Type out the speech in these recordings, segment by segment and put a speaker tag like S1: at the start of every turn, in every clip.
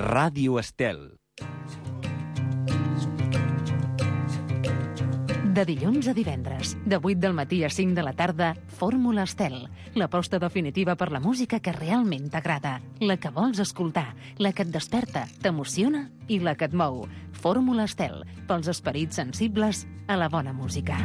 S1: Ràdio Estel.
S2: De dilluns a divendres, de 8 del matí a 5 de la tarda, Fórmula Estel, l'aposta definitiva per la música que realment t'agrada, la que vols escoltar, la que et desperta, t'emociona i la que et mou. Fórmula Estel, pels esperits sensibles a la bona música.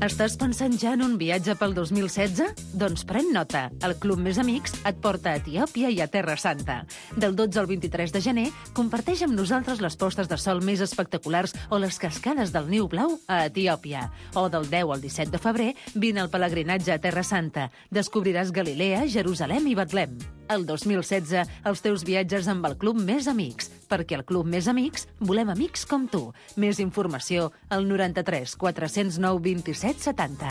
S2: Estàs pensant ja en un viatge pel 2016? Doncs pren nota. El Club Més Amics et porta a Etiòpia i a Terra Santa. Del 12 al 23 de gener, comparteix amb nosaltres les postes de sol més espectaculars o les cascades del Niu Blau a Etiòpia. O del 10 al 17 de febrer, vine al pelegrinatge a Terra Santa. Descobriràs Galilea, Jerusalem i Betlem. El 2016, els teus viatges amb el Club Més Amics, perquè al Club Més Amics volem amics com tu. Més informació al 93 409 27 70.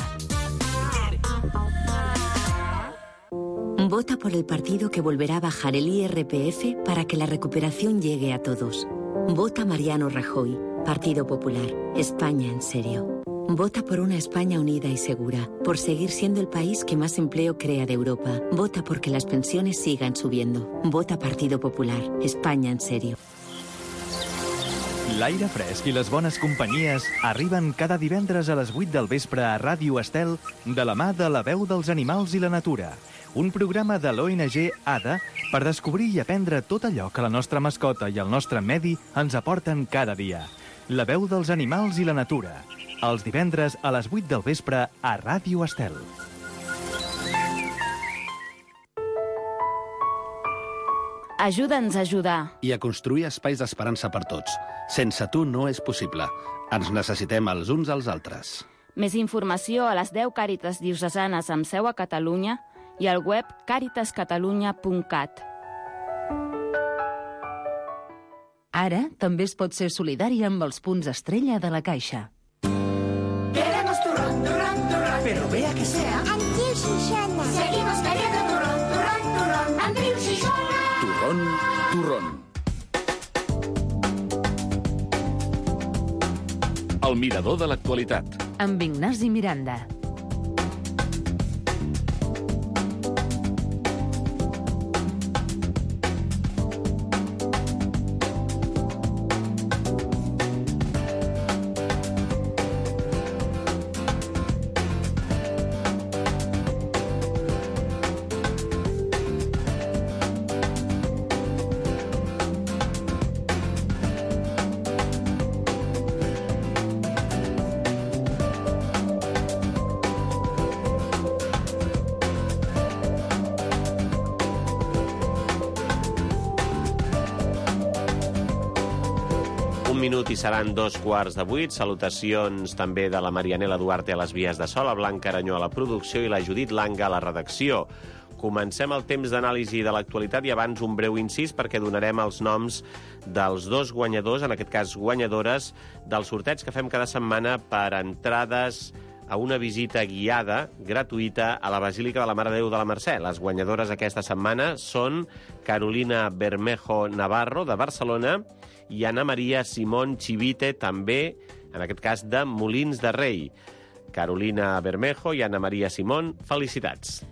S3: Vota por el partido que volverá a bajar el IRPF para que la recuperación llegue a todos. Vota Mariano Rajoy, Partido Popular, España en serio. Vota por una España unida y segura, por seguir siendo el país que más empleo crea de Europa. Vota porque las pensiones sigan subiendo. Vota Partido Popular, España en serio.
S1: L'aire fresc i les bones companyies arriben cada divendres a les 8 del vespre a Ràdio Estel de la mà de La Veu dels Animals i la Natura, un programa de l'ONG ADA per descobrir i aprendre tot allò que la nostra mascota i el nostre medi ens aporten cada dia. La Veu dels Animals i la Natura, els divendres a les 8 del vespre a Ràdio Estel.
S4: Ajuda'ns a ajudar.
S5: I a construir espais d'esperança per tots. Sense tu no és possible. Ens necessitem els uns als altres.
S4: Més informació a les 10 Càritas diocesanes amb seu a Catalunya i al web caritascatalunya.cat.
S2: Ara també es pot ser solidari amb els punts estrella de la Caixa.
S6: Queremos turrón, turrón, turrón. Pero vea que sea Andreu Xixona. Seguimos queriendo turrón, turrón, turrón. Andreu Xixona.
S5: Turrón, turrón.
S7: El mirador de l'actualitat.
S2: Amb Ignasi Miranda.
S8: Minut i seran 2:15. Salutacions també de la Marianela Duarte a les vies de so, la Blanca Aranyó a la producció i la Judit Langa a la redacció. Comencem el temps d'anàlisi de l'actualitat i abans un breu incís perquè donarem els noms dels dos guanyadors, en aquest cas guanyadores, del sorteig que fem cada setmana per entrades a una visita guiada gratuïta a la Basílica de la Mare de Déu de la Mercè. Les guanyadores aquesta setmana són Carolina Bermejo Navarro, de Barcelona, i Ana Maria Simón Chivite, també, en aquest cas, de Molins de Rei. Carolina Bermejo i Ana Maria Simón, felicitats.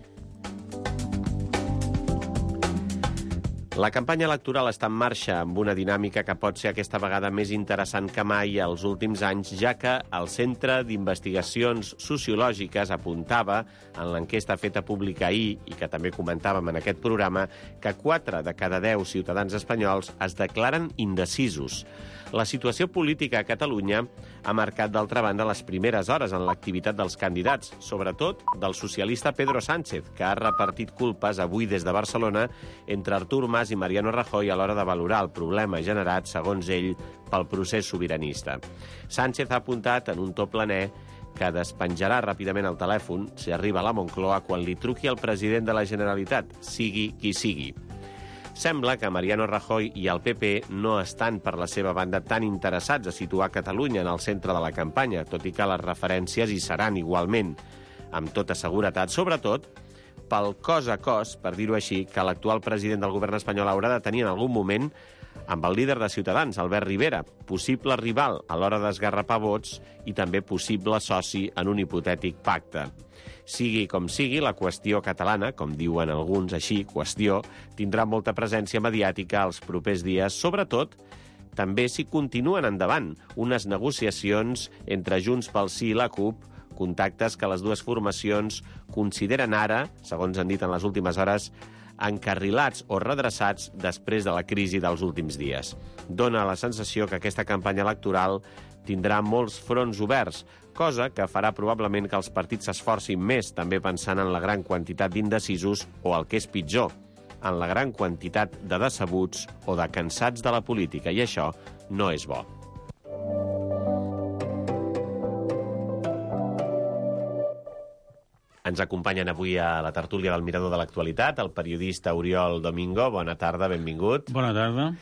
S8: La campanya electoral està en marxa amb una dinàmica que pot ser aquesta vegada més interessant que mai als últims anys, ja que el Centre d'Investigacions Sociològiques apuntava en l'enquesta feta pública ahir, i que també comentàvem en aquest programa, que 4 de cada 10 ciutadans espanyols es declaren indecisos. La situació política a Catalunya ha marcat, d'altra banda, les primeres hores en l'activitat dels candidats, sobretot del socialista Pedro Sánchez, que ha repartit culpes avui des de Barcelona entre Artur Mas i Mariano Rajoy a l'hora de valorar el problema generat, segons ell, pel procés sobiranista. Sánchez ha apuntat en un to planer que despenjarà ràpidament el telèfon si arriba a la Moncloa quan li truqui el president de la Generalitat, sigui qui sigui. Sembla que Mariano Rajoy i el PP no estan, per la seva banda, tan interessats a situar Catalunya en el centre de la campanya, tot i que les referències hi seran igualment, amb tota seguretat, sobretot pel cos a cos, per dir-ho així, que l'actual president del govern espanyol haurà de tenir en algun moment amb el líder de Ciutadans, Albert Rivera, possible rival a l'hora d'esgarrapar vots i també possible soci en un hipotètic pacte. Sigui com sigui, la qüestió catalana, com diuen alguns així, qüestió, tindrà molta presència mediàtica els propers dies, sobretot també si continuen endavant unes negociacions entre Junts pel Sí i la CUP, contactes que les dues formacions consideren ara, segons han dit en les últimes hores, encarrilats o redreçats després de la crisi dels últims dies. Dóna la sensació que aquesta campanya electoral tindrà molts fronts oberts, cosa que farà probablement que els partits s'esforcin més, també pensant en la gran quantitat d'indecisos o, el que és pitjor, en la gran quantitat de decebuts o de cansats de la política, i això no és bo. Ens acompanyen avui a la tertúlia del Mirador de l'Actualitat el periodista Oriol Domingo. Bona tarda, benvingut.
S9: Bona tarda.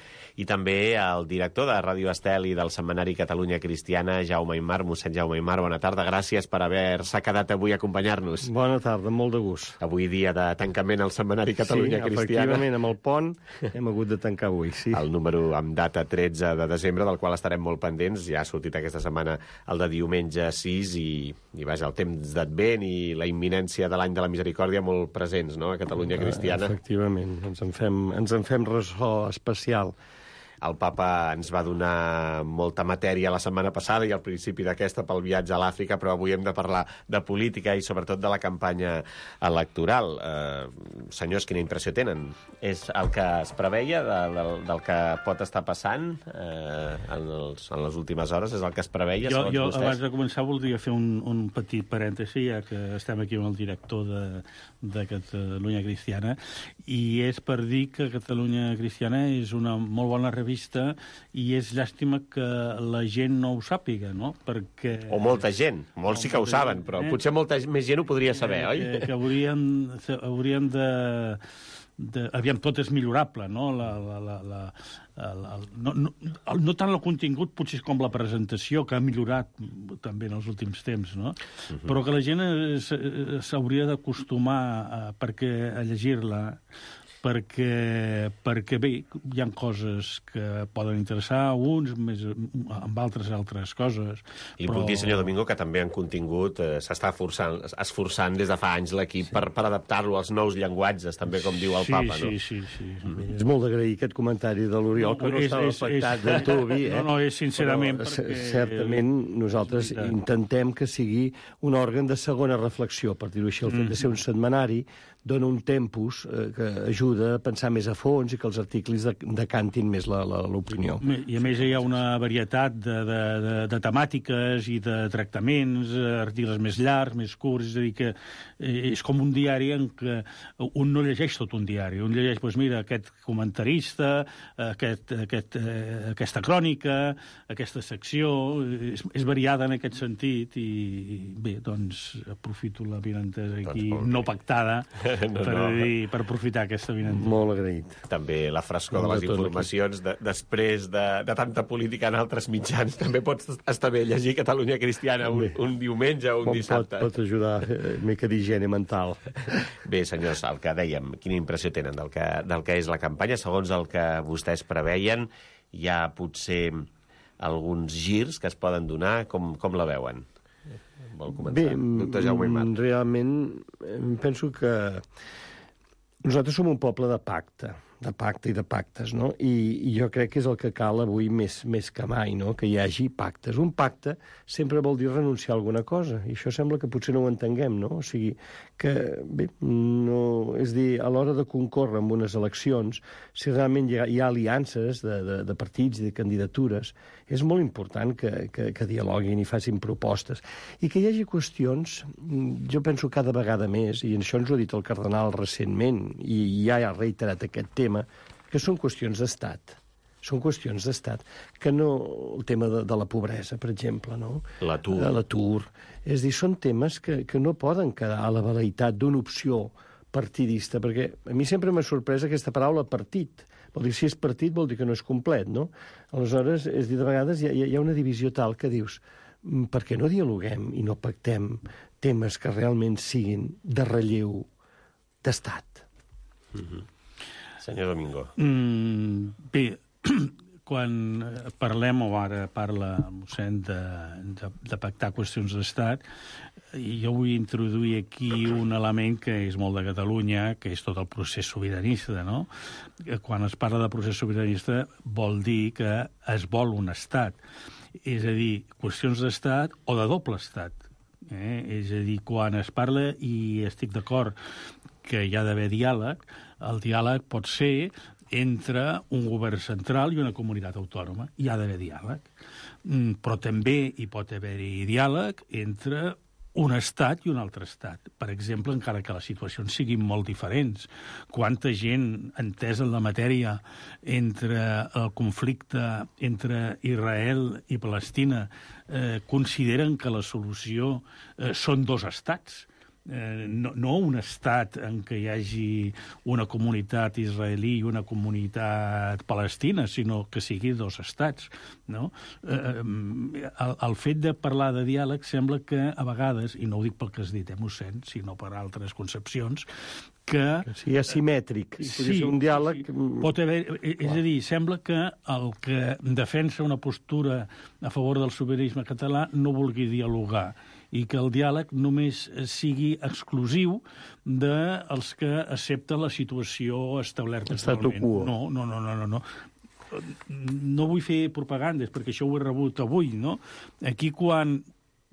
S8: I també el director de Ràdio Estel i del setmanari Catalunya Cristiana, Jaume Aymar. Mossèn Jaume Aymar, bona tarda. Gràcies per haver-se quedat avui a acompanyar-nos.
S9: Bona tarda, molt de gust.
S8: Avui dia de tancament al setmanari Catalunya Cristiana.
S9: Sí, efectivament, amb el pont hem hagut de tancar avui, sí.
S8: El número amb data 13 de desembre, del qual estarem molt pendents. Ja ha sortit aquesta setmana el de diumenge 6 i vaja, el temps d'Advent i la imminència de l'any de la misericòrdia molt presents, no?, a Catalunya Cristiana.
S9: Efectivament, ens en fem ressò especial.
S8: El papa ens va donar molta matèria la setmana passada i al principi d'aquesta pel viatge a l'Àfrica, però avui hem de parlar de política i sobretot de la campanya electoral. Senyors, quina impressió tenen? És el que es preveia del que pot estar passant en les últimes hores? És el que es preveia, segons vostès?
S9: Jo, abans de començar, voldria fer un petit parèntesi, ja que estem aquí amb el director de Catalunya Cristiana, i és per dir que Catalunya Cristiana és una molt bona revista i és llàstima que la gent no ho sàpiga, no? Perquè...
S8: O molta gent. Molts sí que ho saben, però potser molta més gent ho podria saber, oi?
S9: Que haurien de... Aviam, tot és millorable, no? No tant el contingut, potser com la presentació, que ha millorat també en els últims temps, no? Però que la gent s'hauria d'acostumar a llegir-la, perquè bé, hi ha coses que poden interessar a uns, més amb altres coses.
S8: I puc dir, senyor Domingo, que també en contingut s'està esforçant des de fa anys l'equip per adaptar-lo als nous llenguatges, també com diu el papa, no?
S9: Sí.
S10: És molt d'agrair aquest comentari de l'Oriol, que no estava pactat del Tubi.
S9: No, és sincerament perquè...
S10: Certament nosaltres intentem que sigui un òrgan de segona reflexió, per dir-ho així. El fet de ser un setmanari dona un tempus que ajuda a pensar més a fons i que els articles decantin més l'opinió.
S9: I a més hi ha una varietat de temàtiques i de tractaments, articles més llargs, més curts, és a dir, que és com un diari en què un no llegeix tot un diari, un llegeix, doncs mira, aquest comentarista, aquesta crònica, aquesta secció, és variada en aquest sentit i bé, doncs aprofito la vinentesa aquí no pactada per aprofitar aquesta vinentesa.
S10: Molt agraït.
S8: També la frescor de les informacions després de tanta política en altres mitjans. També pot estar bé llegir Catalunya Cristiana un diumenge o un dissabte.
S10: Pot ajudar una mica d'higiene mental.
S8: Bé, senyors, el que dèiem, quina impressió tenen del que és la campanya? Segons el que vostès preveien, hi ha potser alguns girs que es poden donar. Com la veuen? Vol començar, doctor Jaume Aymar?
S10: Realment penso que nosaltres som un poble de pacte i de pactes, no? I jo crec que és el que cal avui més que mai, no? Que hi hagi pactes. Un pacte sempre vol dir renunciar a alguna cosa, i això sembla que potser no ho entenguem, no? O sigui, que, bé, no... És dir, a l'hora de concórrer en unes eleccions, si realment hi ha aliances de partits i de candidatures, és molt important que dialoguin i facin propostes. I que hi hagi qüestions, jo penso cada vegada més, i això ens ho ha dit el cardenal recentment, i ja ha reiterat aquest tema, que són qüestions d'estat. Són qüestions d'estat. Que no... El tema de la pobresa, per exemple, no? L'atur. És dir, són temes que no poden quedar a la veleïtat d'una opció partidista, perquè a mi sempre m'ha sorprès aquesta paraula partit. Vol dir, si és partit vol dir que no és complet, no? Aleshores, és dir, de vegades hi ha una divisió tal que dius, per què no dialoguem i no pactem temes que realment siguin de relleu d'estat?
S8: Senyor Domingo.
S9: Bé, quan parlem, o ara parla el mossèn, de pactar qüestions d'estat, jo vull introduir aquí un element que és molt de Catalunya, que és tot el procés sobiranista, no? Quan es parla de procés sobiranista vol dir que es vol un estat. És a dir, qüestions d'estat o de doble estat. És a dir, quan es parla, i estic d'acord que hi ha d'haver diàleg, el diàleg pot ser entre un govern central i una comunitat autònoma. Hi ha d'haver diàleg. Però també hi pot haver-hi diàleg entre un estat i un altre estat. Per exemple, encara que les situacions siguin molt diferents. Quanta gent entesa en la matèria entre el conflicte entre Israel i Palestina consideren que la solució són dos estats. No un estat en què hi hagi una comunitat israelí i una comunitat palestina, sinó que sigui dos estats, no? El fet de parlar de diàleg sembla que a vegades, i no ho dic pel que has dit, mossèn, sinó per altres concepcions, que
S10: sigui asimètric. Sí, un diàleg...
S9: pot haver, és a dir, sembla que el que defensa una postura a favor del sobiranisme català no vulgui dialogar, i que el diàleg només sigui exclusiu dels que accepten la situació establerta actualment. No. No vull fer propagandes, perquè això ho he rebut avui, no? Aquí, quan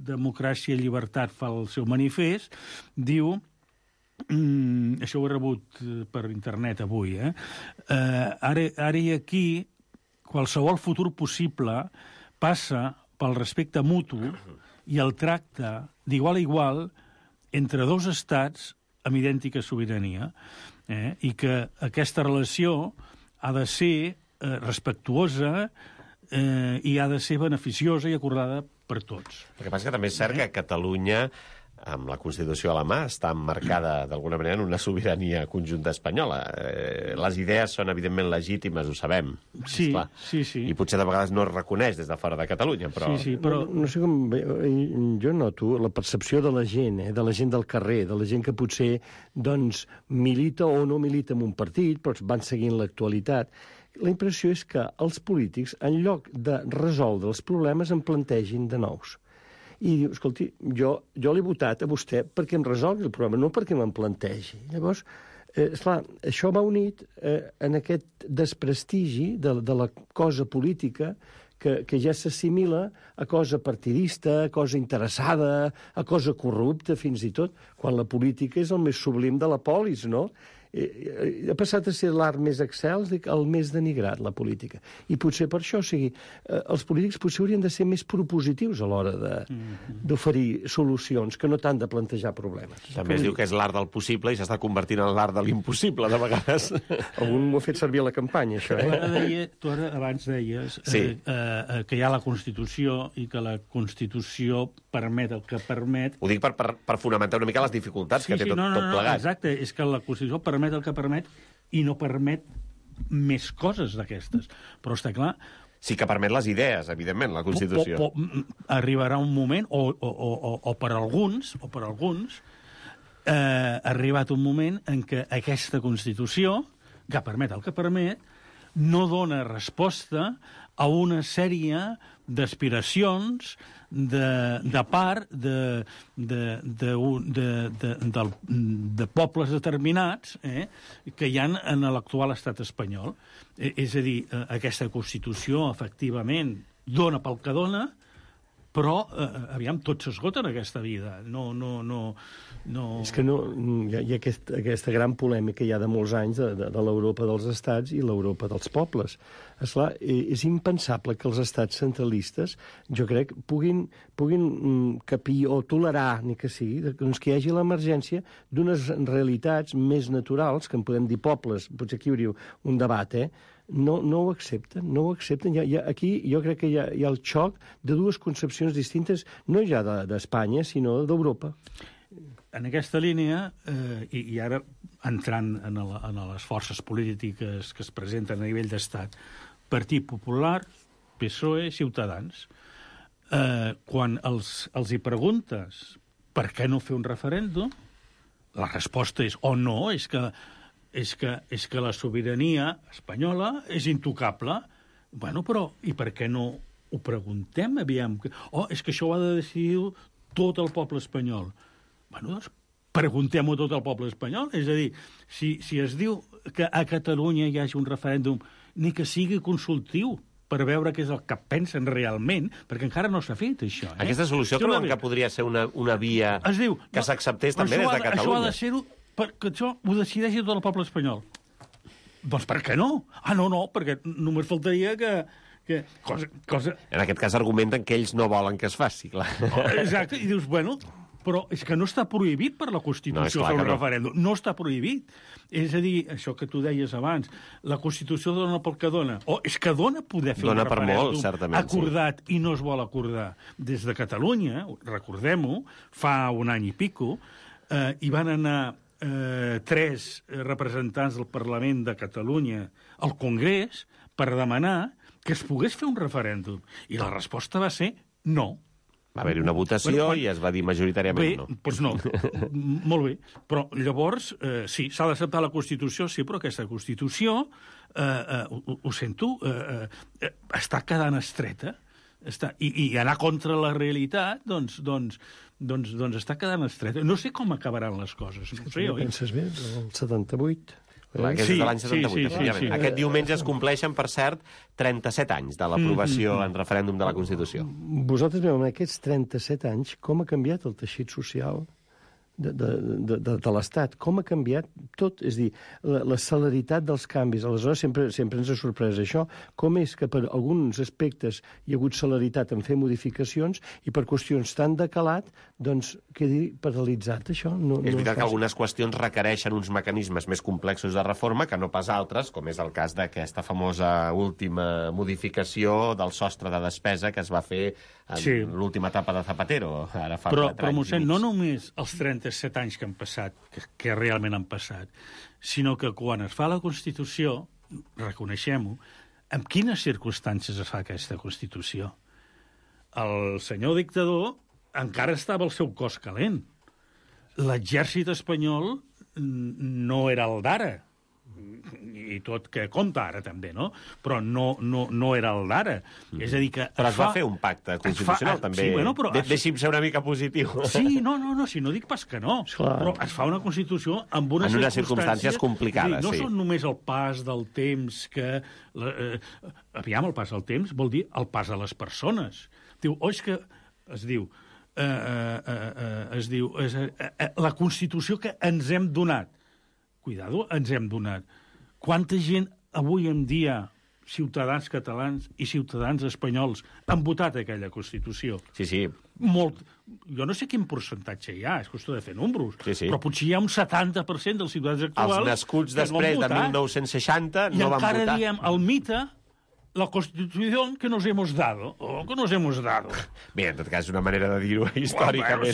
S9: Democràcia i Llibertat fa el seu manifest, diu... això ho he rebut per internet avui, ara i aquí, qualsevol futur possible passa pel respecte mutu i el tracte d'igual a igual entre dos estats amb idèntica sobirania, i que aquesta relació ha de ser respectuosa i ha de ser beneficiosa i acordada per tots.
S8: El que passa que també és cert que Catalunya, amb la Constitució a la mà, està emmarcada d'alguna manera en una sobirania conjunta espanyola. Les idees són evidentment legítimes, ho sabem.
S9: Sí.
S8: I potser de vegades no es reconeix des de fora de Catalunya, però...
S10: Sí, però no sé com... Jo noto la percepció de la gent, de la gent del carrer, de la gent que potser, doncs, milita o no milita en un partit, però van seguint l'actualitat. La impressió és que els polítics, en lloc de resoldre els problemes, en plantegin de nous. I diu, escolti, jo l'he votat a vostè perquè em resolgui el problema, no perquè me'n plantegi. Llavors, esclar, això va unit en aquest desprestigi de la cosa política que ja s'assimila a cosa partidista, a cosa interessada, a cosa corrupta, fins i tot, quan la política és el més sublim de la polis, no? Ha passat a ser l'art més excels, el més denigrat, la política. I potser per això, o sigui, els polítics potser haurien de ser més propositius a l'hora d'oferir solucions, que no tant de plantejar problemes.
S8: També es diu que és l'art del possible i s'està convertint en l'art de l'impossible, de vegades.
S10: Algun ho ha fet servir a la campanya, això,
S9: Tu ara abans deies que hi ha la Constitució i que la Constitució permet el que permet...
S8: Ho dic per fonamentar una mica les dificultats que té tot plegat.
S9: Exacte, és que la Constitució permet el que permet i no permet més coses d'aquestes. Però està clar...
S8: Sí que permet les idees, evidentment, la Constitució.
S9: Arribarà un moment, o per alguns, ha arribat un moment en què aquesta Constitució, que permet el que permet, no dona resposta a una sèrie d'aspiracions de part de pobles determinats que hi ha en l'actual estat espanyol. És a dir, aquesta Constitució, efectivament, dona pel que dona, però, aviam, tot s'esgota en aquesta vida.
S10: És que hi ha aquesta gran polèmica ja de molts anys de l'Europa dels estats i l'Europa dels pobles. Esclar, és impensable que els estats centralistes, jo crec, puguin capir o tolerar, ni que sigui, doncs que hi hagi l'emergència d'unes realitats més naturals, que en podem dir pobles, potser aquí hi hauria un debat, no ho accepten. Aquí jo crec que hi ha el xoc de dues concepcions distintes, no ja d'Espanya, sinó d'Europa.
S9: En aquesta línia, i ara entrant en les forces polítiques que es presenten a nivell d'estat, Partit Popular, PSOE, Ciutadans, quan els hi preguntes per què no fer un referèndum, la resposta és o no, és que la sobirania espanyola és intocable, Bueno, però, i per què no ho preguntem, aviam? És que això ho ha de decidir tot el poble espanyol. Bueno, doncs, preguntem-ho tot el poble espanyol. És a dir, si es diu que a Catalunya hi hagi un referèndum, ni que sigui consultiu, per veure què és el que pensen realment, perquè encara no s'ha fet, això.
S8: Aquesta solució creuen que podria ser una via que s'acceptés també des de Catalunya?
S9: Això ha de ser-ho perquè això ho decideixi tot el poble espanyol. Doncs per què no? No, perquè només faltaria que cosa...
S8: En aquest cas argumenten que ells no volen que es faci, clar.
S9: Exacte, i dius, bueno, però és que no està prohibit per la Constitució fer un referèndum. No està prohibit. És a dir, això que tu deies abans, la Constitució dona pel que dona. És que dona poder fer un referèndum acordat i no es vol acordar. Des de Catalunya, recordem-ho, fa un any i pico, hi van anar 3 representants del Parlament de Catalunya al Congrés per demanar que es pogués fer un referèndum. I la resposta va ser no.
S8: Va haver-hi una votació i es va dir majoritàriament no.
S9: Doncs no. Molt bé. Però llavors, sí, s'ha d'acceptar la Constitució, sí, però aquesta Constitució, ho sento, està quedant estreta. I anar contra la realitat, doncs està quedant estreta. No sé com acabaran les coses. No sé, oi?
S10: Penses bé, el 78...
S8: Aquest és de l'any 78. Aquest diumenge es compleixen, per cert, 37 anys de l'aprovació en referèndum de la Constitució.
S10: Vosaltres veu, en aquests 37 anys, com ha canviat el teixit social de l'Estat? Com ha canviat tot? És a dir, la celeritat dels canvis. Aleshores, sempre ens ha sorprès això. Com és que per alguns aspectes hi ha hagut celeritat en fer modificacions i per qüestions tan de calat, doncs, quedi paralitzat, això?
S8: És veritat que algunes qüestions requereixen uns mecanismes més complexos de reforma que no pas altres, com és el cas d'aquesta famosa última modificació del sostre de despesa que es va fer en l'última etapa de Zapatero, ara fa 4 anys.
S9: Però, mossèn, no només els 37 anys que han passat, que realment han passat, sinó que quan es fa la Constitució, reconeixem-ho, en quines circumstàncies es fa aquesta Constitució? El senyor dictador encara estava al seu cos calent. L'exèrcit espanyol no era el d'ara, i tot que compta ara també, no? Però no era el d'ara. És a dir que...
S8: Però es va fer un pacte constitucional, també.
S9: Sí, bueno, però...
S8: Deixi'm ser una mica positiu.
S9: Sí, no, si no dic pas que no. Però es fa una Constitució amb unes
S8: circumstàncies complicades,
S9: no són només el pas del temps que... Aviam, el pas del temps vol dir el pas a les persones. Diu, és que... Es diu... la Constitució que ens hem donat. Cuidado, ens hem donat. Quanta gent avui en dia, ciutadans catalans i ciutadans espanyols, han votat aquella Constitució?
S8: Sí.
S9: Molt. Jo no sé quin percentatge hi ha, és qüestió de fer números, però potser hi ha un 70% dels ciutadans actuals
S8: els nascuts després de 1960 no van votar.
S9: I encara diem el mite, la Constitución que nos hemos dado, o que nos hemos dado.
S8: Bé, en tot cas, és una manera de dir-ho històricament.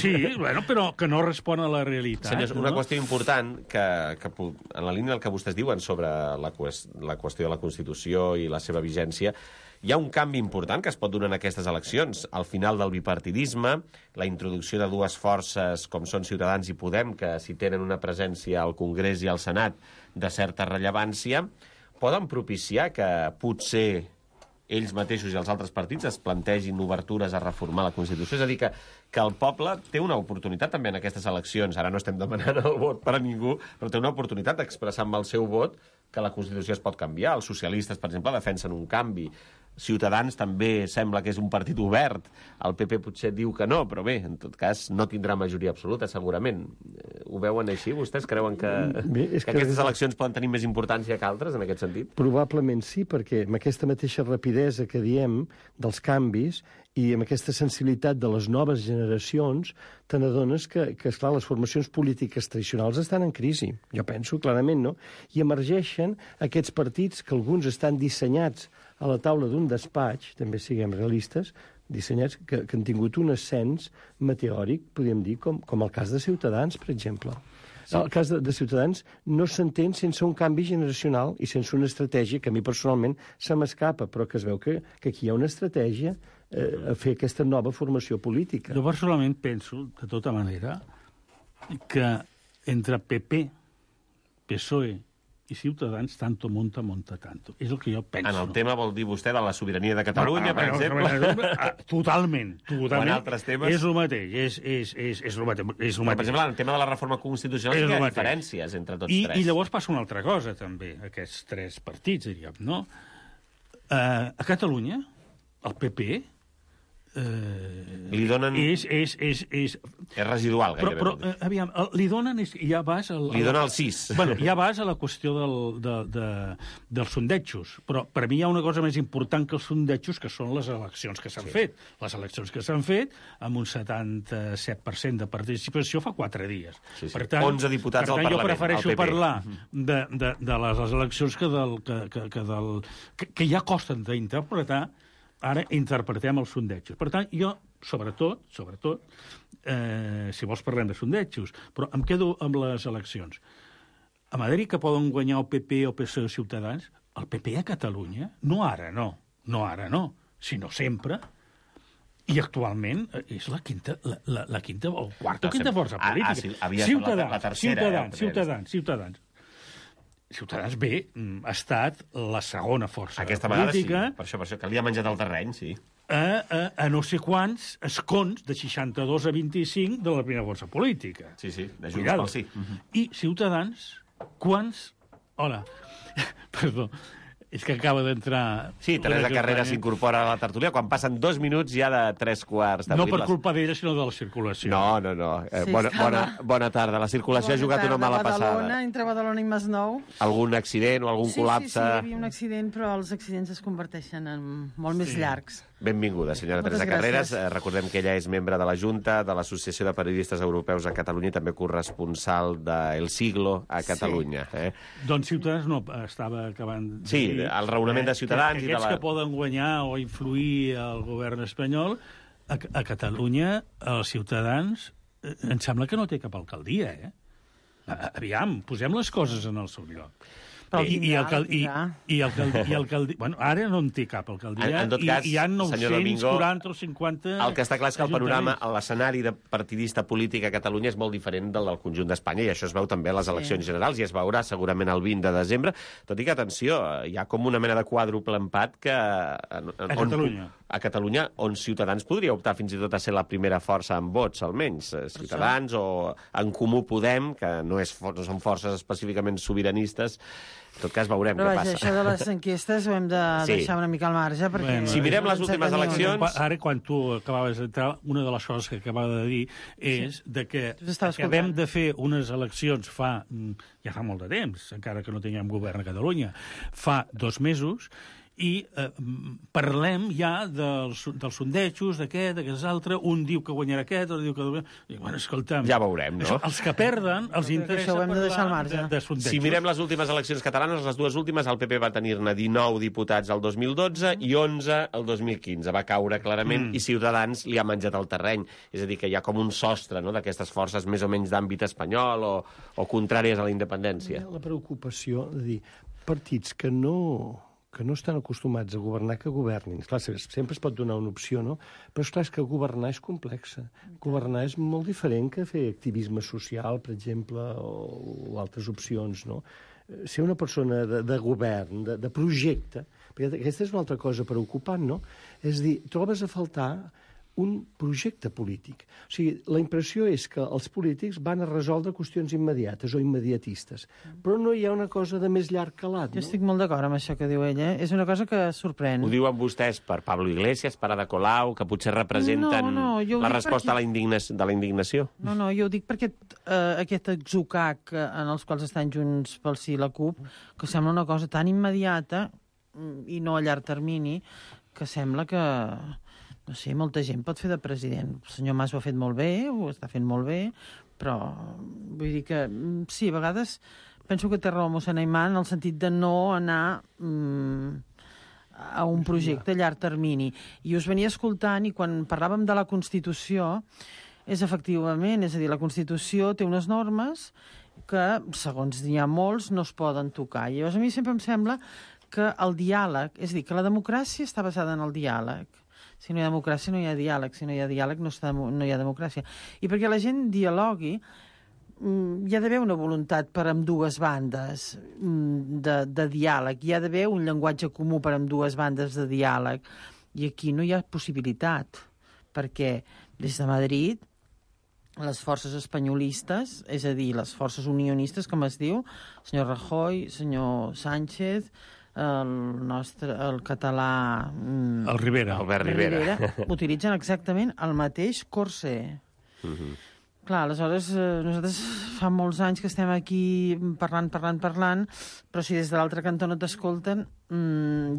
S9: Però que no respon a la realitat.
S8: Senyors, una qüestió important que en la línia del que vostès diuen sobre la qüestió de la Constitució i la seva vigència, hi ha un canvi important que es pot donar en aquestes eleccions. Al final del bipartidisme, la introducció de 2 forces com són Ciutadans i Podem, que si tenen una presència al Congrés i al Senat de certa rellevància, poden propiciar que potser ells mateixos i els altres partits es plantegin obertures a reformar la Constitució. És a dir, que el poble té una oportunitat també en aquestes eleccions. Ara no estem demanant el vot per a ningú, però té una oportunitat d'expressar amb el seu vot que la Constitució es pot canviar. Els socialistes, per exemple, defensen un canvi. Ciutadans també sembla que és un partit obert. El PP potser diu que no, però bé, en tot cas, no tindrà majoria absoluta, segurament. Ho veuen així? Vostès creuen que aquestes eleccions poden tenir més importància que altres, en aquest sentit?
S10: Probablement sí, perquè amb aquesta mateixa rapidesa que diem dels canvis i amb aquesta sensibilitat de les noves generacions, te n'adones que, esclar, les formacions polítiques tradicionals estan en crisi. Jo penso clarament, no? I emergeixen aquests partits que alguns estan dissenyats a la taula d'un despatx, també siguem realistes, dissenyats que han tingut un ascens meteòric, podríem dir, com el cas de Ciutadans, per exemple. Sí. El cas de Ciutadans no s'entén sense un canvi generacional i sense una estratègia que a mi personalment se m'escapa, però que es veu que aquí hi ha una estratègia a fer aquesta nova formació política.
S9: Jo personalment penso, de tota manera, que entre PP, PSOE i Ciutadans tanto monta tanto. És el que jo penso.
S8: En el tema vol dir vostè de la sobirania de Catalunya, per exemple?
S9: Totalment.
S8: O en altres temes?
S9: És el mateix. És el mateix.
S8: Per exemple, en el tema de la reforma constitucional hi ha diferències entre tots tres.
S9: I llavors passa una altra cosa, també, aquests tres partits, diríem, no? A Catalunya, el PP...
S8: li donen...
S9: És
S8: residual, gairebé.
S9: Però aviam, li donen... Ja vas
S8: li donen el 6.
S9: Bueno, ja vas a la qüestió dels sondejos, però per mi hi ha una cosa més important que els sondejos, que són les eleccions que s'han fet. Les eleccions que s'han fet amb un 77% de participació fa 4 dies.
S8: Per tant, 11 diputats al Parlament,
S9: jo prefereixo parlar de les eleccions que ja costen d'interpretar. Ara interpretem els sondejos. Per tant, jo, sobretot, si vols parlem de sondejos, però em quedo amb les eleccions. A Madrid, que poden guanyar el PP o PSOE Ciutadans, el PP a Catalunya, no ara, sinó sempre, i actualment és la quinta o quarta o quinta força política. Ciutadans. Ciutadans bé, ha estat la segona força
S8: aquesta
S9: política.
S8: Vegada sí, per això, que li ha menjat el terreny, sí.
S9: A no sé quants escons, de 62 a 25, de la primera força política.
S8: Sí, de Junts pel Sí.
S9: I Ciutadans, quants... Hola, perdó, és que acaba d'entrar...
S8: Sí, Teresa Carrera s'incorpora a la tertúlia quan passen 2 minuts ja de 3/4 d'abril.
S9: No per culpa d'ella, sinó de la circulació.
S8: No. Bona tarda. La circulació ha jugat una mala passada.
S11: Entre Badalona i Masnou.
S8: Algun accident o algun col·lapse?
S11: Sí, hi havia un accident, però els accidents es converteixen en molt més llargs.
S8: Benvinguda, senyora Teresa Carreras. Recordem que ella és membre de la Junta de l'Associació de Periodistes Europeus a Catalunya i també corresponsal de El Siglo a Catalunya.
S9: Doncs Ciutadans no estava acabant...
S8: Sí, el raonament de Ciutadans...
S9: Aquests que poden guanyar o influir al govern espanyol, a Catalunya, els Ciutadans, em sembla que no té cap alcaldia, Aviam, posem les coses en el seu lloc. Bueno, ara no en té cap alcaldia.
S8: En tot cas,
S9: hi ha 940 o 50...
S8: El que està clar és que el panorama, l'escenari de partidista polític a Catalunya és molt diferent del del conjunt d'Espanya, i això es veu també a les eleccions generals, i es veurà segurament el 20 de desembre. Tot i que, atenció, hi ha com una mena de quàdruple empat que... A Catalunya, on Ciutadans podria optar fins i tot a ser la primera força en vots, almenys. Ciutadans o En Comú Podem, que no són forces específicament sobiranistes. En tot cas, veurem què passa.
S11: Això de les enquestes ho hem de deixar una mica al marge, perquè...
S8: Si mirem les últimes eleccions...
S9: Ara, quan tu acabaves d'entrar, una de les coses que acabava de dir és que acabem de fer unes eleccions ja fa molt de temps, encara que no tinguem govern a Catalunya, fa 2 mesos, i parlem ja dels sondejos, d'aquest altre, un diu que guanyarà aquest, un diu que... I, bueno, escolta'm...
S8: Ja veurem, no?
S9: Els que perden, els interessa
S11: parlar
S9: de sondejos.
S8: Si mirem les últimes eleccions catalanes, les 2 últimes, el PP va tenir-ne 19 diputats el 2012 i 11 el 2015. Va caure clarament i Ciutadans li ha menjat el terreny. És a dir, que hi ha com un sostre d'aquestes forces més o menys d'àmbit espanyol o contràries a la independència.
S10: La preocupació de dir partits que no estan acostumats a governar, que governin. Clar, sempre es pot donar una opció, no? Però, esclar, és que governar és complexa. Governar és molt diferent que fer activisme social, per exemple, o altres opcions, no? Ser una persona de govern, de projecte, perquè aquesta és una altra cosa preocupant, no? És a dir, trobes a faltar un projecte polític. O sigui, la impressió és que els polítics van a resoldre qüestions immediates o immediatistes, però no hi ha una cosa de més llarg calat, no?
S11: Jo estic molt d'acord amb això que diu ella. És una cosa que sorprèn.
S8: Ho diuen vostès per Pablo Iglesias, per Ada Colau, que potser representen la resposta a la indignació?
S11: No, jo ho dic perquè aquest atzucac en els quals estan Junts pel Sí i la CUP, que sembla una cosa tan immediata i no a llarg termini, que sembla que... No sé, molta gent pot fer de president. El senyor Mas ho ha fet molt bé, ho està fent molt bé, però vull dir que sí, a vegades penso que té raó mossèn Aimà en el sentit de no anar a un projecte a llarg termini. I us venia escoltant i quan parlàvem de la Constitució és efectivament, és a dir, la Constitució té unes normes que, segons n'hi ha molts, no es poden tocar. I llavors a mi sempre em sembla que el diàleg, és a dir, que la democràcia està basada en el diàleg. Si no hi ha democràcia, no hi ha diàleg. Si no hi ha diàleg, no hi ha democràcia. I perquè la gent dialogui, hi ha d'haver una voluntat per ambdues bandes de diàleg, hi ha d'haver un llenguatge comú per ambdues bandes de diàleg, i aquí no hi ha possibilitat, perquè des de Madrid les forces espanyolistes, és a dir, les forces unionistes, com es diu, senyor Rajoy, senyor Sánchez, el català...
S9: El Rivera.
S8: Albert Rivera.
S11: Utilitzen exactament el mateix corsé. Clar, aleshores, nosaltres fa molts anys que estem aquí parlant, però si des de l'altre cantó no t'escolten,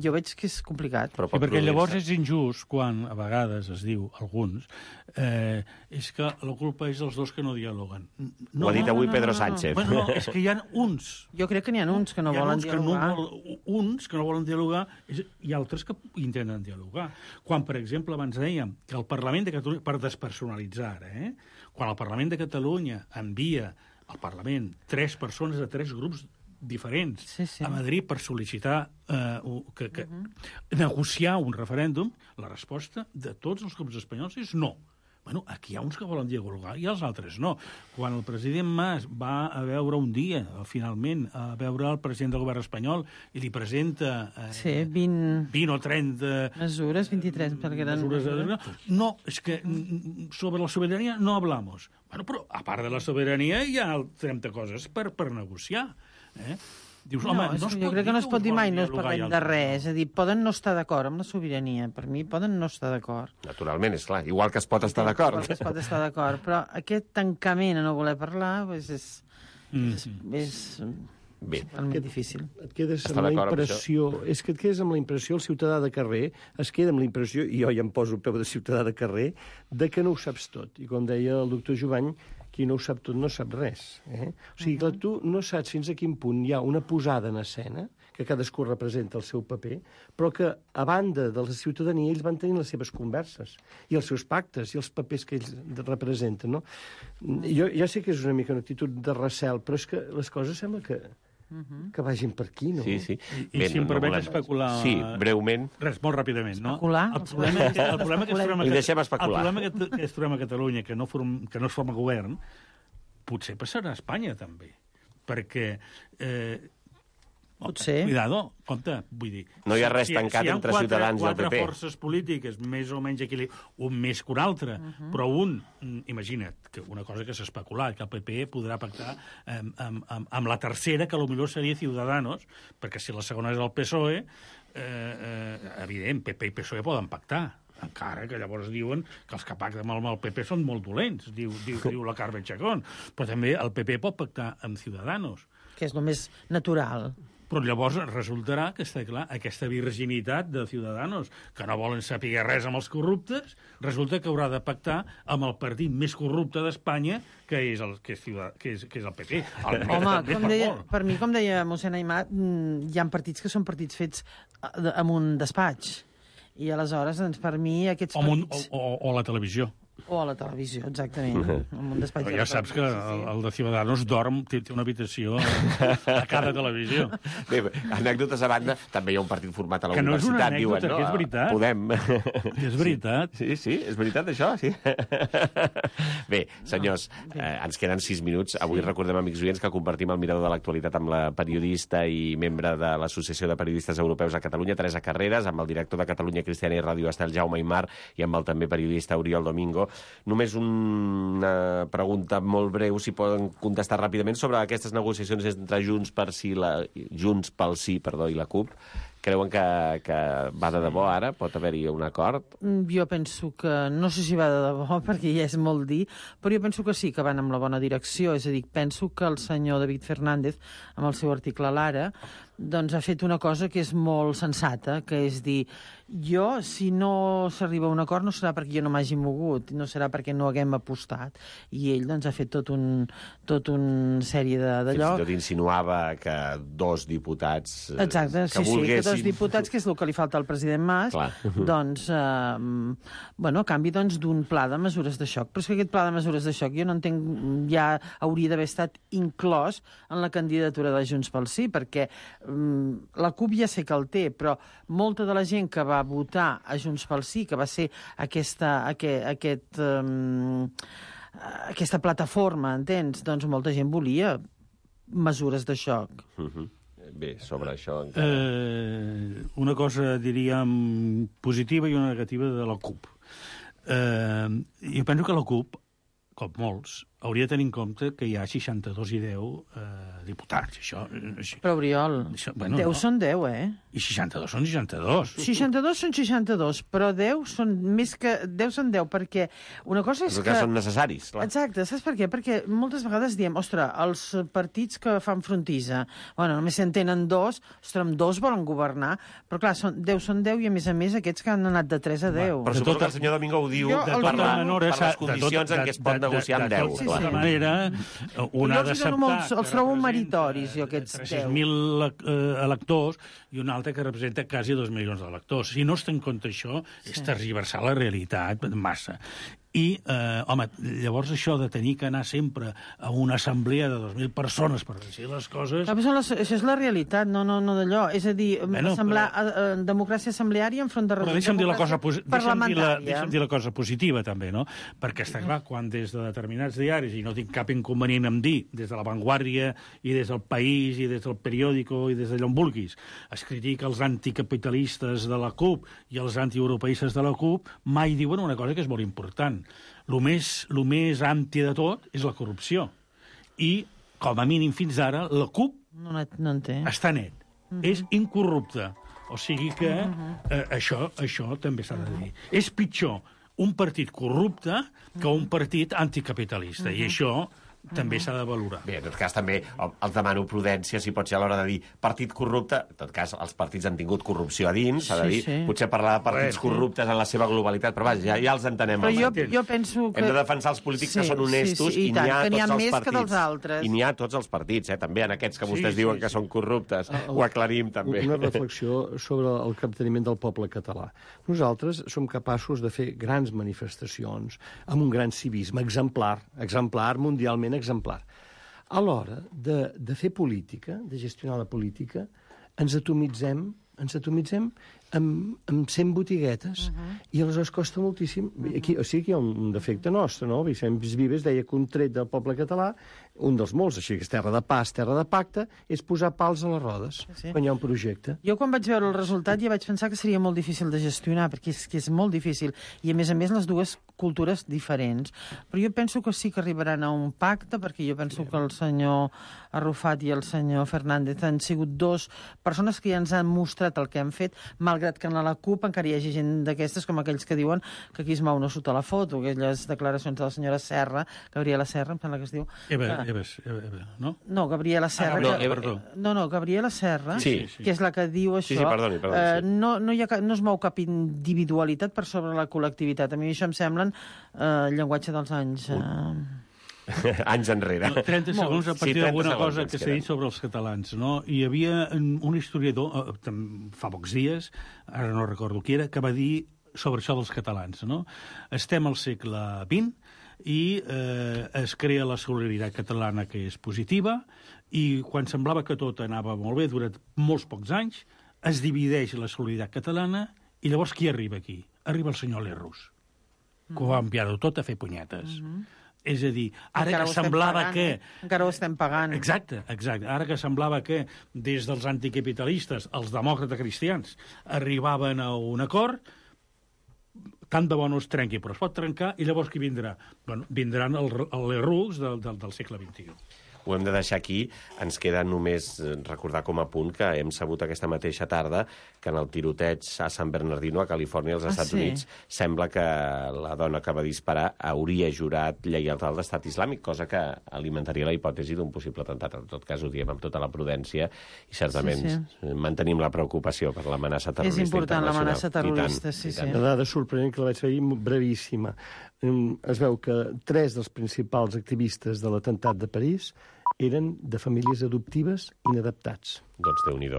S11: jo veig que és complicat.
S9: Sí, perquè llavors és injust quan, a vegades, es diu, alguns, és que la culpa és dels dos que no dialoguen.
S8: Ho ha dit avui Pedro Sánchez.
S9: Bueno, és que hi ha uns.
S11: Jo crec que n'hi ha uns que no volen dialogar.
S9: Uns que no volen dialogar i altres que intenten dialogar. Quan, per exemple, abans dèiem que el Parlament de Catalunya, per despersonalitzar, quan el Parlament de Catalunya envia al Parlament 3 persones de 3 grups diferents a Madrid per sol·licitar negociar un referèndum, la resposta de tots els grups espanyols és no. Bueno, aquí hi ha uns que volen dialogar i els altres no. Quan el president Mas va a veure un dia, finalment, a veure el president del govern espanyol i li presenta 20 o 30...
S11: Mesures, 23, perquè eren...
S9: No, és que sobre la sobirania no hablamos. Bueno, però a part de la sobirania hi ha 30 coses per negociar, Dius, home,
S11: jo crec que no es pot dir mai no es parlem de res. És a dir, poden no estar d'acord amb la sobirania. Per mi poden no estar d'acord.
S8: Naturalment, és clar. Igual que es pot estar d'acord.
S11: Igual que es pot estar d'acord. Però aquest tancament a no voler parlar és realment difícil.
S10: Et quedes amb la impressió... És que et quedes amb la impressió, el ciutadà de carrer es queda amb la impressió, i jo ja em poso el peu de ciutadà de carrer, de que no ho saps tot. I com deia el doctor Jovany, qui no ho sap tot no sap res. O sigui que tu no saps fins a quin punt hi ha una posada en escena, que cadascú representa el seu paper, però que, a banda de la ciutadania, ells van tenir les seves converses, i els seus pactes, i els papers que ells representen, no? Jo sé que és una mica una actitud de recel, però és que les coses sembla que vagin per aquí, no?
S8: Sí.
S9: I si em permets especular...
S8: Sí, breument.
S9: Res, molt ràpidament, no?
S11: Especular?
S9: El problema que es trobem a Catalunya, que no es forma govern, potser passarà a Espanya, també. Perquè...
S11: Potser.
S9: Cuidado, compte, vull dir...
S8: No hi ha res tancat entre Ciutadans i el PP.
S9: Si hi ha 4 forces polítiques més o menys equilibrades, un més que un altre, però un, imagina't, que una cosa que s'ha especulat, que el PP podrà pactar amb la tercera, que potser seria Ciudadanos, perquè si la segona és el PSOE, evident, PP i PSOE poden pactar. Encara que llavors diuen que els que pacten amb el PP són molt dolents, diu la Carmen Chacón. Però també el PP pot pactar amb Ciudadanos.
S11: Que és el més natural.
S9: Però llavors resultarà que està clar, aquesta virginitat de Ciudadanos, que no volen saber res amb els corruptes, resulta que haurà de pactar amb el partit més corrupte d'Espanya, que és el PP.
S11: Home, per mi, com deia mossèn Aimar, hi ha partits que són partits fets amb un despatx. I aleshores, doncs, per mi, aquests partits...
S9: O la televisió.
S11: O a la televisió, exactament. Amb un despatx
S9: ja saps que el de Ciudadanos dorm, té una habitació a cada televisió.
S8: Bé, anècdotes a banda, també hi ha un partit format a la universitat, diuen, no?
S9: Que és veritat.
S8: Podem.
S9: És veritat.
S8: Sí, és veritat, això, sí. Bé, senyors, ens queden 6 minuts. Avui recordem, amics oients, que compartim el mirador de l'actualitat amb la periodista i membre de l'Associació de Periodistes Europeus a Catalunya, Teresa Carreras, amb el director de Catalunya Cristiana i Ràdio Estel, Jaume Aimar, i amb el també periodista Oriol Domingo. Només una pregunta molt breu, si poden contestar ràpidament, sobre aquestes negociacions entre Junts pel Sí i la CUP. Creuen que va de debò ara? Pot haver-hi un acord?
S11: Jo penso que... No sé si va de debò, perquè ja és molt dir, però jo penso que sí, que van amb la bona direcció. És a dir, penso que el senyor David Fernández, amb el seu article a l'Ara, doncs ha fet una cosa que és molt sensata, que és dir, jo, si no s'arriba a un acord, no serà perquè jo no m'hagi mogut, no serà perquè no haguem apostat. I ell, doncs, ha fet tot un sèrie d'allò...
S8: Fins i tot insinuava que 2 diputats...
S11: Exacte, sí, que 2 diputats, que és el que li falta al president Mas, doncs, a canvi d'un pla de mesures de xoc. Però és que aquest pla de mesures de xoc jo no entenc, ja hauria d'haver estat inclòs en la candidatura de Junts pel Sí, perquè la CUP ja sé que el té, però molta de la gent que va votar a Junts pel Sí, que va ser aquesta plataforma, entens? Doncs molta gent volia mesures de xoc.
S8: Bé, sobre això...
S9: Una cosa, diríem, positiva i una negativa de la CUP. Jo penso que la CUP, com molts, hauria de tenir en compte que hi ha 62 i 10 diputats. Això,
S11: però, Oriol, 10 són 10, eh?
S9: I 62 són 62.
S11: 62 són 62, però 10 són més que... 10 són 10, perquè una cosa és
S8: que... són necessaris, clar.
S11: Exacte, saps per què? Perquè moltes vegades diem, ostres, els partits que fan frontissa, bueno, només se'n tenen 2, ostres, amb 2 volen governar, però clar, 10 són 10 i a més aquests que han anat de 3 a 10.
S8: Però suposo que el senyor Domingo ho diu per les condicions en què es pot negociar amb 10.
S9: De tota manera, un ha d'acceptar...
S11: Els trobo meritoris, jo, aquests 10.
S9: 300.000 electors i un altre que representa quasi 2 milions d'electors. Si no es té en compte això, és tergiversar la realitat massa. I, home, llavors això de tenir que anar sempre a una assemblea de 2.000 persones per decidir les coses...
S11: Això és la realitat, no d'allò. És a dir, democràcia assembleària enfront de
S9: democràcia parlamentària. Deixa'm dir la cosa positiva, també, no? Perquè està clar, quan des de determinats diaris, i no tinc cap inconvenient en dir, des de La Vanguardia, i des del País, i des del Periódico, i des d'allò on vulguis, es critica els anticapitalistes de la CUP i els antieuropeistes de la CUP, mai diuen una cosa que és molt important. El més anti de tot és la corrupció. I, com a mínim fins ara, la CUP està net. És incorrupte. O sigui que això també s'ha de dir. És pitjor un partit corrupte que un partit anticapitalista. I això també s'ha de valorar.
S8: Bé, en tot cas, també els demano prudència, si pot ser a l'hora de dir partit corrupte. En tot cas, els partits han tingut corrupció a dins, s'ha de dir. Potser parlar de partits corruptes en la seva globalitat, però vaja, ja els entenem.
S11: Però jo penso que...
S8: Hem de defensar els polítics que són honestos i n'hi ha tots els partits. I n'hi ha tots els partits, també en aquests que vostès diuen que són corruptes. Ho aclarim, també.
S10: Una reflexió sobre el capteniment del poble català. Nosaltres som capaços de fer grans manifestacions amb un gran civisme exemplar mundialment exemplar. A l'hora de fer política, de gestionar la política, ens atomitzem amb 100 botiguetes i aleshores costa moltíssim. Aquí, o sigui que hi ha un defecte nostre, no? Vicent Vives deia que un tret del poble català, un dels molts, així que és terra de pas, terra de pacte, és posar pals a les rodes quan hi ha un projecte.
S11: Jo quan vaig veure el resultat ja vaig pensar que seria molt difícil de gestionar, perquè és molt difícil, i a més les dues cultures diferents. Però jo penso que sí que arribaran a un pacte, perquè jo penso que el senyor Arrufat i el senyor Fernández han sigut dos persones que ja ens han mostrat el que han fet, malgrat que en la CUP encara hi hagi gent d'aquestes, com aquells que diuen que aquí es mou no sota la foto, aquelles declaracions de la senyora Serra, Gabriela Serra, em sembla que es diu.
S9: Eva, no?
S11: No, Gabriela Serra. Gabriela Serra, que és la que diu això.
S8: Sí, perdoni.
S11: No es mou cap individualitat per sobre la col·lectivitat. A mi això em semblen llenguatge dels anys...
S8: anys enrere.
S9: 30 segons a partir d'alguna cosa que s'ha dit sobre els catalans, no? Hi havia un historiador, fa pocs dies, ara no recordo qui era, que va dir sobre això dels catalans, no? Estem al segle XX i es crea la solidaritat catalana, que és positiva, i quan semblava que tot anava molt bé, durant molts pocs anys, es divideix la solidaritat catalana i llavors qui arriba aquí? Arriba el senyor Lerroux, que ho va enviar-ho tot a fer punyetes. És a dir, ara que semblava que...
S11: Encara ho estem pagant.
S9: Exacte. Ara que semblava que des dels anticapitalistes, els demòcrates cristians, arribaven a un acord, tant de bo no es trenqui, però es pot trencar, i llavors qui vindrà? Bueno, vindran els Lerroux del segle XXI.
S8: Ho hem de deixar aquí. Ens queda només recordar com a punt que hem sabut aquesta mateixa tarda que en el tiroteig a San Bernardino, a Califòrnia, als Estats Units, sembla que la dona que va disparar hauria jurat lleialtat a l'Estat Islàmic, cosa que alimentaria la hipòtesi d'un possible atemptat. En tot cas, ho diem amb tota la prudència i certament mantenim la preocupació per l'amenaça terrorista internacional.
S11: És important l'amenaça terrorista, sí.
S10: Una dada sorprenent que la vaig fer brevíssima. Es veu que 3 dels principals activistes de l'atemptat de París eren de famílies adoptives inadaptats.
S8: Doncs Déu-n'hi-do.